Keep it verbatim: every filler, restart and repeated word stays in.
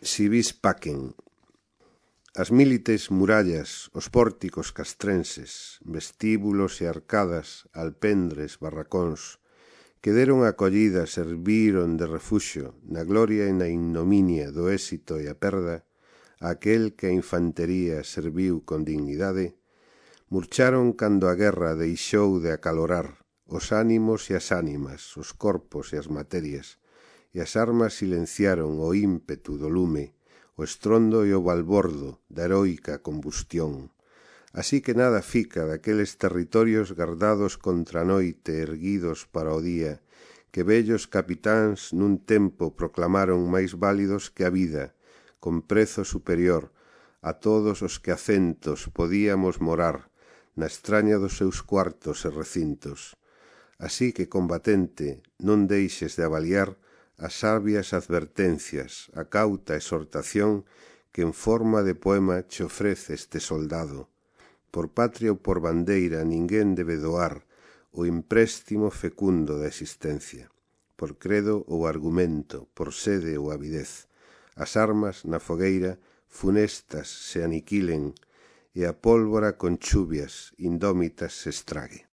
si vis pacen. As mílites murallas, os pórticos castrenses, vestíbulos e arcadas, alpendres, barracóns, que deron acollida, serviron de refuxo na gloria e na ignominia do éxito e a perda, a aquel que a infantería serviu con dignidade, murcharon cando a guerra deixou de acalorar os ánimos e as ánimas, os corpos e as materias, e as armas silenciaron o ímpetu do lume, o estrondo e o balbordo da heroica combustión. Así que nada fica daqueles territorios gardados contra a noite erguidos para o día, que vellos capitáns nun tempo proclamaron máis válidos que a vida, con prezo superior a todos os que acentos podíamos morar na estraña dos seus cuartos e recintos. Así que, combatente, non deixes de avaliar as sabias advertencias, a cauta exhortación que en forma de poema che ofrece este soldado. Por patria ou por bandeira ninguén debe doar o empréstimo fecundo da existencia. Por credo ou argumento, por sede ou avidez, as armas na fogueira funestas se aniquilen e a pólvora con chuvias indómitas se estrague.